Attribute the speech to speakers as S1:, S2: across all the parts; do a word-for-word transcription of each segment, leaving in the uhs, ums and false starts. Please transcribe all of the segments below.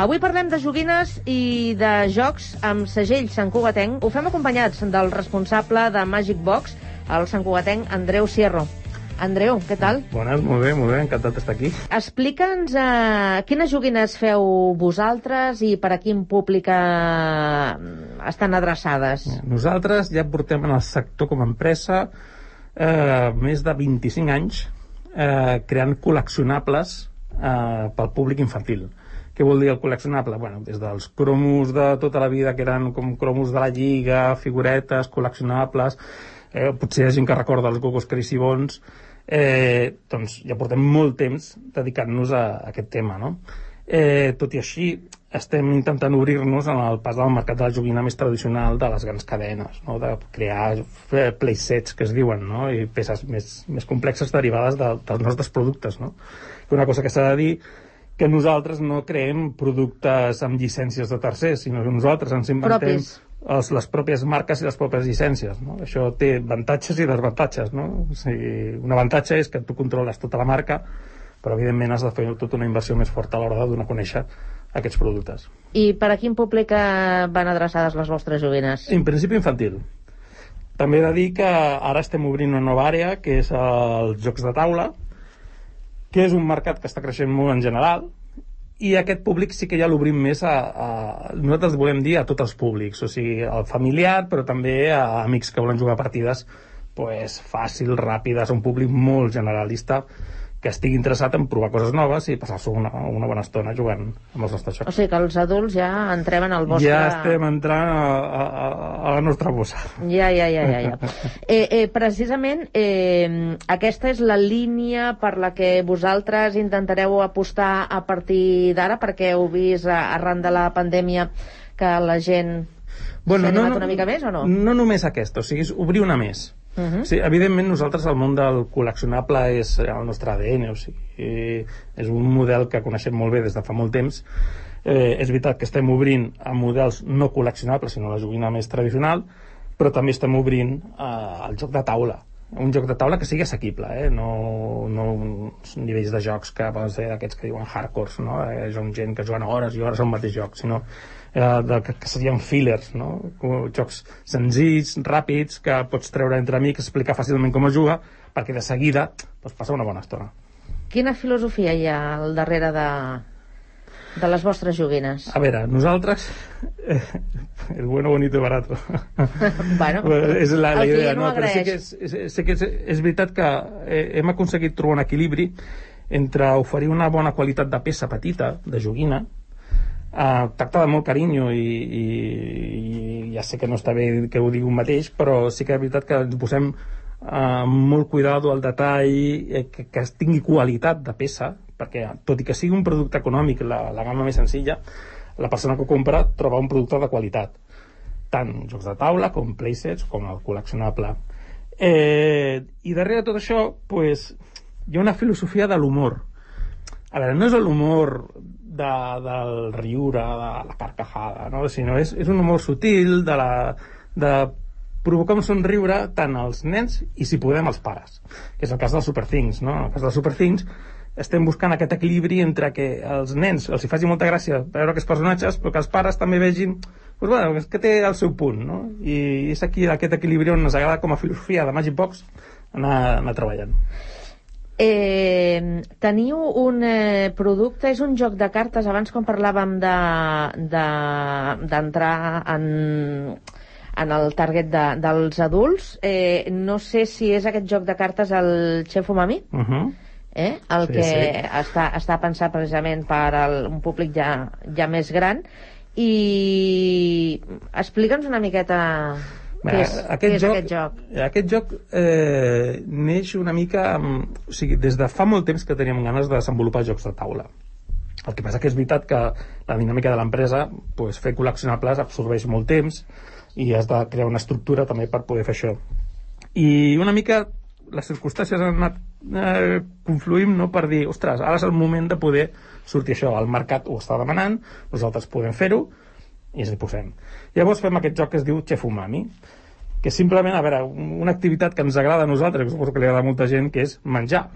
S1: Avui parlem de joguines i de jocs amb segell santcugatenc. Ho fem acompanyats del responsable de Magic Box, el santcugatenc Andreu Sierro. Andreu, què tal?
S2: Bones, molt bé, molt bé, encantat d'estar aquí.
S1: Explica'ns uh, quines joguines feu vosaltres i per a quin públic uh, estan adreçades.
S2: Nosaltres ja portem en el sector com a empresa eh, més de vint-i-cinc anys eh, creant col·leccionables eh, pel públic infantil. Què vol dir el col·leccionable? Bueno, des dels cromos de tota la vida, que eren com cromos de la Lliga, figuretes, col·leccionables, eh, potser hi ha gent que recorda els Gogos Crazy-Bons, eh, doncs ja portem molt temps dedicant-nos a, a aquest tema, no? Eh, tot i així, estem intentant obrir-nos en el pas del mercat de la joguina més tradicional de les grans cadenes, no? De crear playsets, que es diuen, no? I peces més, més complexes derivades de, dels nostres productes, no? Una cosa que s'ha de dir, que nosaltres no creem productes amb llicències de tercers, sinó que nosaltres ens inventem els, les pròpies marques i les pròpies llicències, no? Això té avantatges i desavantatges, no? O sigui, un avantatge és que tu controles tota la marca, però evidentment has de fer tota una inversió més forta a l'hora de donar a conèixer aquests productes.
S1: I per a quin públic van adreçades les vostres joguines?
S2: En principi infantil. També he de dir que ara estem obrint una nova àrea, que és els jocs de taula, que és un mercat que està creixent molt en general, i aquest públic sí que ja l'obrim més a, a... Nosaltres volem dir a tots els públics, o sigui, al familiar, però també a amics que volen jugar partides pues, fàcil, ràpides, un públic molt generalista, que estigui interessat en provar coses noves i passar-se una, una bona estona jugant amb els nostres jocs.
S1: O sigui que els adults ja entrem en el vostre...
S2: Ja estem entrant a, a, a la nostra bossa.
S1: Ja, ja, ja, ja. ja. eh, eh, precisament, eh, aquesta és la línia per la que vosaltres intentareu apostar a partir d'ara, perquè heu vist arran de la pandèmia que la gent
S2: bueno,
S1: s'ha animat
S2: no,
S1: una mica més o no?
S2: No només aquesta, o sigui, és obrir una més. Uh-huh. Sí, evidentment nosaltres el món del col·leccionable és el nostre A D N, o sigui, és un model que coneixem molt bé des de fa molt temps. Eh, és veritat que estem obrint a models no col·leccionables, sinó la joguina més tradicional, però també estem obrint eh, el joc de taula, un joc de taula que sigui assequible, eh? no, no uns nivells de jocs que poden ser aquests que diuen hardcores, no? Eh, són gent que juguen hores i hores al mateix joc, sinó eh, de, que, que serien fillers, no? Jocs senzills, ràpids, que pots treure entre amics, explicar fàcilment com es juga, perquè de seguida pots passar una bona estona.
S1: Quina filosofia hi ha al darrere de, de les vostres joguines?
S2: A veure, nosaltres eh, el bueno, bonito y barato.
S1: Bueno,
S2: és la, la idea,
S1: no,
S2: no? Però sí que, és, és, sí que és, és veritat que eh, hem aconseguit trobar un equilibri entre oferir una bona qualitat de peça petita, de joguina, eh, tractada amb molt carinyo i, i, i ja sé que no està bé que ho digui un mateix, però sí que és veritat que ens posem eh, molt cuidado al detall, eh, que, que tingui qualitat de peça, perquè tot i que sigui un producte econòmic, la, la gamma més senzilla, la persona que ho compra troba un producte de qualitat, tant jocs de taula com playsets com el col·leccionable. Eh, i darrere de tot això pues, hi ha una filosofia de l'humor. A veure, no és l'humor de, del riure, de la carcajada, no? Sinó és, és un humor sutil de, la, de provocar un somriure tant als nens i, si podem, als pares, que és el cas del Super Things, no? En el cas del Super Things estem buscant aquest equilibri entre que els nens els hi faci molta gràcia veure aquests personatges, però que els pares també vegin pues, bueno, que té el seu punt, no? I és aquí aquest equilibri on ens agrada com a filosofia de Magic Box anar, anar treballant.
S1: Eh, teniu un eh, producte, és un joc de cartes, abans quan parlàvem de, de, d'entrar en, en el target de, dels adults, eh, no sé si és aquest joc de cartes el Chef Umami?
S2: Uh-huh.
S1: Eh? El sí, que sí. Està, està pensat precisament per al, un públic ja, ja més gran. I explica'ns una miqueta què és,
S2: aquest,
S1: què és
S2: joc,
S1: aquest joc.
S2: Aquest joc eh, neix una mica amb, o sigui, des de fa molt temps que teníem ganes de desenvolupar jocs de taula. El que passa que és veritat que la dinàmica de l'empresa, pues, fer col·leccionables absorbeix molt temps i has de crear una estructura també per poder fer això. I una mica les circumstàncies han anat eh, confluint, no, per dir, ostres, ara és el moment de poder sortir això, el mercat ho està demanant, nosaltres podem fer-ho i ens hi posem. Llavors fem aquest joc que es diu Chef Umami, que simplement, a veure, una activitat que ens agrada a nosaltres, que suposo que li agrada a molta gent, que és menjar.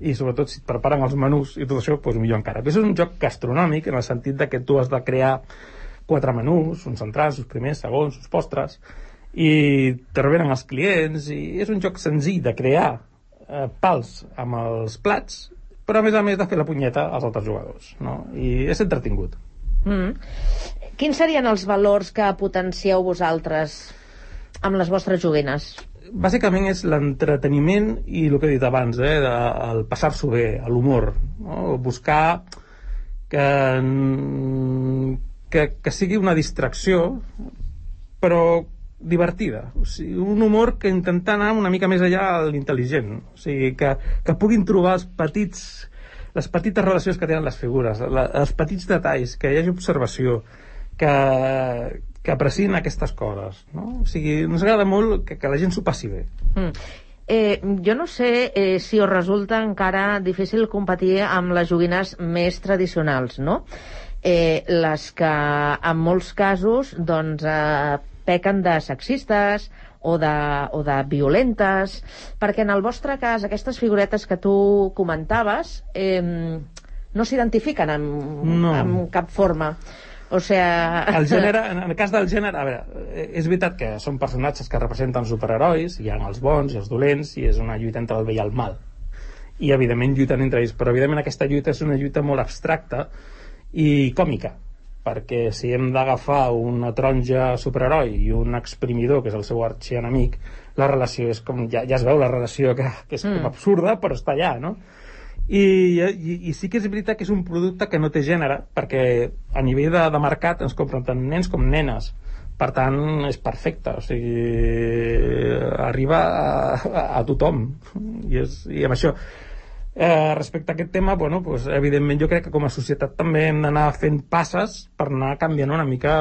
S2: i sobretot si et preparen els menús i tot això, doncs millor encara. Però és un joc gastronòmic en el sentit de que tu has de crear quatre menús, uns centrals, uns primers, segons, uns postres, i te revenen els clients, i és un joc senzill de crear eh, pals amb els plats, però a més a més de fer la punyeta als altres jugadors, no? I és entretingut.
S1: Mm. Quins serien els valors que potencieu vosaltres amb les vostres joguines?
S2: Bàsicament és l'entreteniment i el que he dit abans, eh, de, el passar-s'ho bé, l'humor, no? Buscar que, que, que sigui una distracció, però divertida. O sigui, un humor que intenta anar una mica més allà a l'intel·ligent. O sigui, que, que puguin trobar els petits, les petites relacions que tenen les figures, la, els petits detalls, que hi hagi observació, que, que apreciïn aquestes coses, no? O sigui, ens agrada molt que, que la gent s'ho passi bé.
S1: Mm. Eh, jo no sé eh, si us resulta encara difícil competir amb les joguines més tradicionals, no? Eh, les que en molts casos doncs eh, pequen de sexistes o de, o de violentes, perquè en el vostre cas aquestes figuretes que tu comentaves eh, no s'identifiquen amb,
S2: no.
S1: amb cap forma. O sea...
S2: El gènere, en el cas del gènere, a veure, és veritat que són personatges que representen superherois, hi ha els bons i els dolents, i és una lluita entre el bé i el mal. I, evidentment, lluiten entre ells, però, evidentment, aquesta lluita és una lluita molt abstracta i còmica, perquè si hem d'agafar una taronja superheroi i un exprimidor, que és el seu arxienemic, la relació és com... Ja, ja es veu la relació, que, que és mm. com absurda, però està allà, no? I, i, i sí que és veritat que és un producte que no té gènere, perquè a nivell de, de mercat ens compren tant nens com nenes, per tant és perfecte, o sigui, arriba a, a, a tothom, i, és, i amb això eh, respecte a aquest tema, bueno, pues, evidentment jo crec que com a societat també hem d'anar fent passes per anar canviant una mica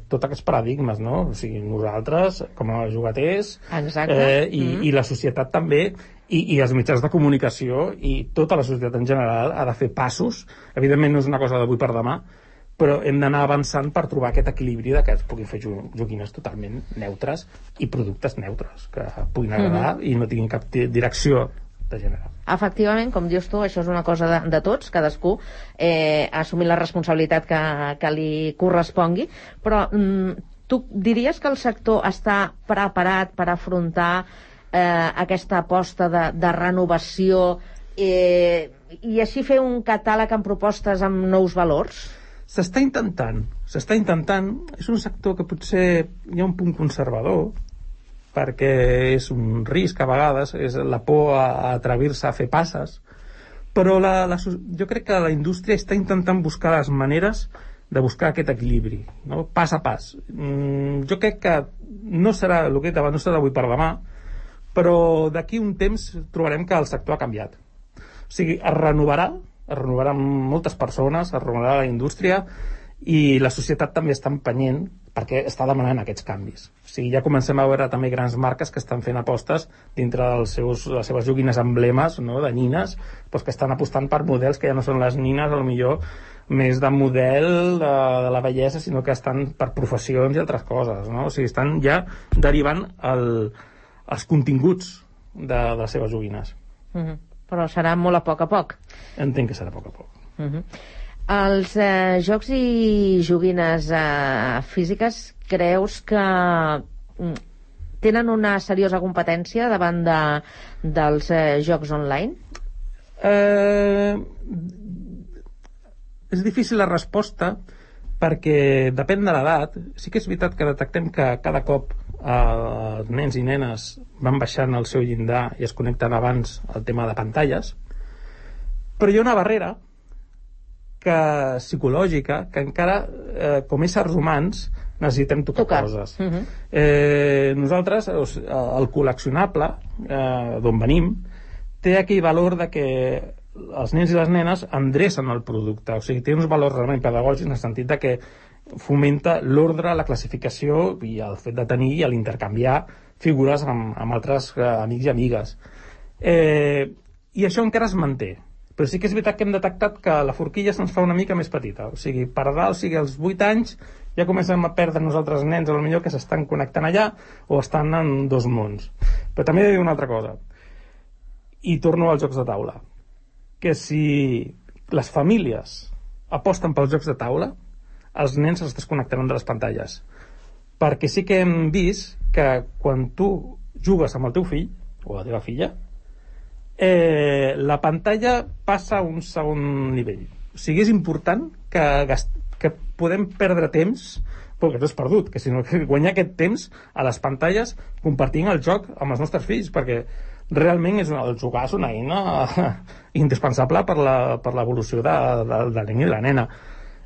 S2: tots aquests paradigmes, no? O sigui, nosaltres com a jugaters eh, i, mm. i la societat també, I, i els mitjans de comunicació i tota la societat en general ha de fer passos. Evidentment no és una cosa d'avui per demà, però hem d'anar avançant per trobar aquest equilibri de que es puguin fer joguines totalment neutres i productes neutres que puguin agradar mm-hmm. i no tinguin cap direcció de gènere.
S1: Efectivament, com dius tu, això és una cosa de, de tots, cadascú eh, assumir la responsabilitat que, que li correspongui, però mm, tu diries que el sector està preparat per afrontar Eh, aquesta aposta de, de renovació eh, i així fer un catàleg amb propostes amb nous valors?
S2: S'està intentant, s'està intentant. És un sector que potser hi ha un punt conservador, perquè és un risc a vegades, és la por a, a atrevir-se a fer passes, però la, la, jo crec que la indústria està intentant buscar les maneres de buscar aquest equilibri, no? Pas a pas. Mm, jo crec que no serà, el que he dit abans, no serà avui per demà, però d'aquí un temps trobarem que el sector ha canviat. O sigui, es renovarà, es renovarà amb moltes persones, es renovarà la indústria i la societat també està empenyent perquè està demanant aquests canvis. O sigui, ja comencem a veure també grans marques que estan fent apostes dintre dels seus, les seves joguines emblemes, no?, de nines, doncs que estan apostant per models que ja no són les nines, potser més de model de, de la bellesa, sinó que estan per professions i altres coses, no? O sigui, estan ja derivant el els continguts de, de les seves joguines.
S1: Uh-huh. Però serà molt a poc a poc.
S2: Entenc que serà a poc a poc.
S1: Uh-huh. Els eh, jocs i joguines eh, físiques creus que mm, tenen una seriosa competència davant de, dels eh, jocs online?
S2: Eh, és difícil la resposta perquè depèn de l'edat. Sí que és veritat que detectem que cada cop els eh, nens i nenes van baixant el seu llindar i es connecten abans al tema de pantalles, però hi ha una barrera que, psicològica, que encara eh, com éssers humans necessitem tocar, tocar. coses. Uh-huh. eh, nosaltres el col·leccionable eh, d'on venim té aquell valor de que els nens i les nenes endrecen el producte, o sigui, té uns valors realment pedagògics en el sentit de que fomenta l'ordre, la classificació i el fet de tenir i l'intercanviar figures amb, amb altres eh, amics i amigues. Eh, I això encara es manté, però sí que és veritat que hem detectat que la forquilla se'ns fa una mica més petita, o sigui, per dalt, o sigui, als vuit anys ja comencem a perdre nosaltres nens, a lo millor que s'estan connectant allà o estan en dos mons. Però també he de dir una altra cosa, i torno als jocs de taula. que si les famílies aposten pels jocs de taula, els nens es desconnectaran de les pantalles. Perquè sí que hem vist que quan tu jugues amb el teu fill o la teva filla, eh, la pantalla passa a un segon nivell. O sigui, és important que, gast... que podem perdre temps, perquè no és perdut, que sinó que guanyar aquest temps a les pantalles compartint el joc amb els nostres fills, perquè realment és una, el jugar és una eina indispensable per la, per l'evolució de, de, del nen i la nena.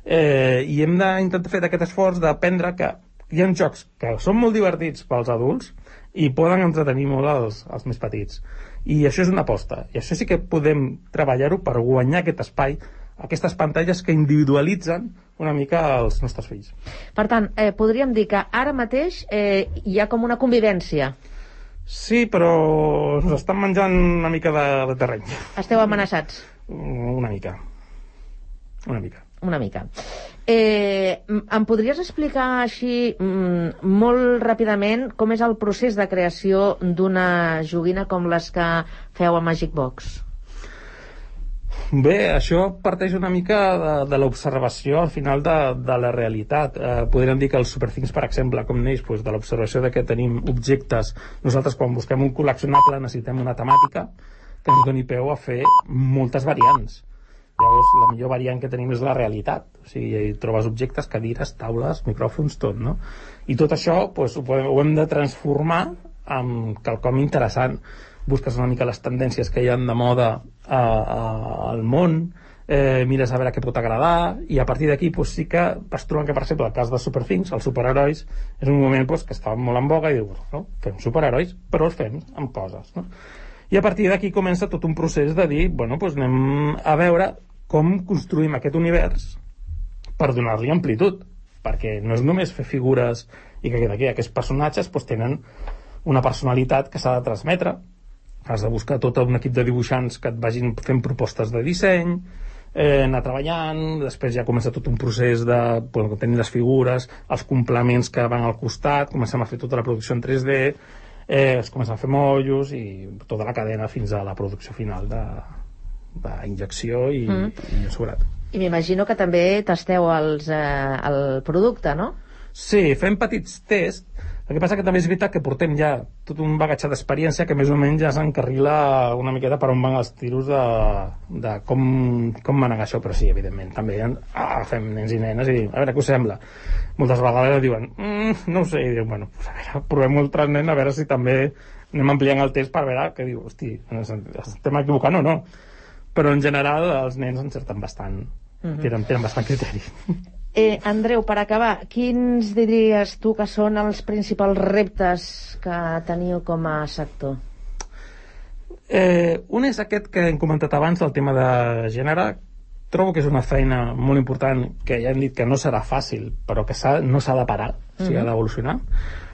S2: Eh, I hem d'intentar fer aquest esforç d'aprendre que hi ha jocs que són molt divertits pels adults i poden entretenir molt els, els més petits. I això és una aposta. I això sí que podem treballar-ho per guanyar aquest espai, aquestes pantalles que individualitzen una mica els nostres fills.
S1: Per tant, eh, podríem dir que ara mateix eh, hi ha com una convivència.
S2: Sí, però ens estan menjant una mica de, de terreny.
S1: Esteu amenaçats?
S2: Una mica. Una mica.
S1: Una mica. Eh, em podries explicar així mm, molt ràpidament com és el procés de creació d'una joguina com les que feu a Magic Box?
S2: Bé, això parteix una mica de, de l'observació al final de, de la realitat. Eh, podríem dir que els Superthings, per exemple, com neix doncs, de l'observació de que tenim objectes. Nosaltres, quan busquem un col·leccionable, necessitem una temàtica que ens doni peu a fer moltes variants. Llavors, la millor variant que tenim és la realitat. O sigui, hi trobes objectes, cadires, taules, micròfons, tot, no? I tot això doncs, ho, podem, ho hem de transformar en quelcom interessant. Busques una mica les tendències que hi ha de moda a, a, al món, eh, mires a veure què pot agradar, i a partir d'aquí doncs, sí que vas trobant que, per exemple, el cas de Superthings, els superherois, és un moment doncs, que estava molt en boga i dius, no? Fem superherois, però els fem amb coses, no? I a partir d'aquí comença tot un procés de dir, bueno, doncs anem a veure com construïm aquest univers per donar-li amplitud, perquè no és només fer figures i que d'aquí aquests personatges doncs, tenen una personalitat que s'ha de transmetre. Has de buscar tot un equip de dibuixants que et vagin fent propostes de disseny, eh, anar treballant, després ja comença tot un procés de bueno, tenir les figures, els complements que van al costat, comencem a fer tota la producció en tres D, eh, es comença a fer motllos i tota la cadena fins a la producció final de, de injecció i, mm. i assegurat.
S1: I m'imagino que també tasteu els, eh, el producte, no?
S2: Sí, fem petits tests. El que passa que també és veritat que portem ja tot un bagatge d'experiència que més o menys ja s'encarrila una miqueta per on van els tiros de, de com, com manegar això, però sí, evidentment, també ah, fem nens i nenes i a veure què us sembla. Moltes vegades diuen, mm, no ho sé, i diuen, bueno, pues a veure, provem un altre nen a veure si també anem ampliant el test per veure què diu, hosti, estem equivocant o no. Però en general els nens encerten bastant, mm-hmm. tenen, tenen bastant criteri.
S1: Eh, Andreu, per acabar, quins diries tu que són els principals reptes que teniu com a sector?
S2: Eh, un és aquest que hem comentat abans, el tema de gènere. Trobo que és una feina molt important, que ja hem dit que no serà fàcil, però que s'ha, no s'ha de parar, o sigui, ha d'evolucionar.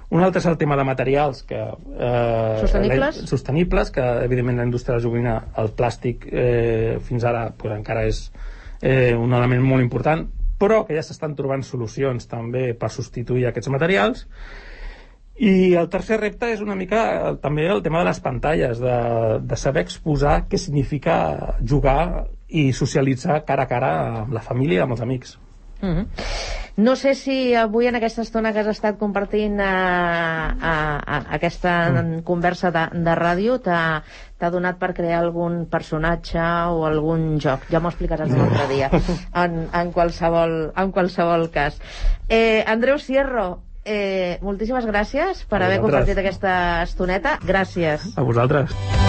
S2: Un altre és el tema de materials que, eh,
S1: sostenibles?
S2: La, sostenibles, que evidentment la indústria de la joguina, el plàstic eh, fins ara pues, encara és eh, un element molt important, però que ja s'estan trobant solucions també per substituir aquests materials. I el tercer repte és una mica també el tema de les pantalles, de, de saber exposar què significa jugar i socialitzar cara a cara amb la família i amb els amics.
S1: Mm-hmm. No sé si avui en aquesta estona que has estat compartint a, a, a aquesta mm. conversa de, de ràdio t'ha, t'ha donat per crear algun personatge o algun joc. Ja m'ho explicaràs un altre dia en, en, qualsevol, en qualsevol cas. eh, Andreu Sierro, eh, moltíssimes gràcies per haver compartit aquesta estoneta. Gràcies.
S2: A vosaltres.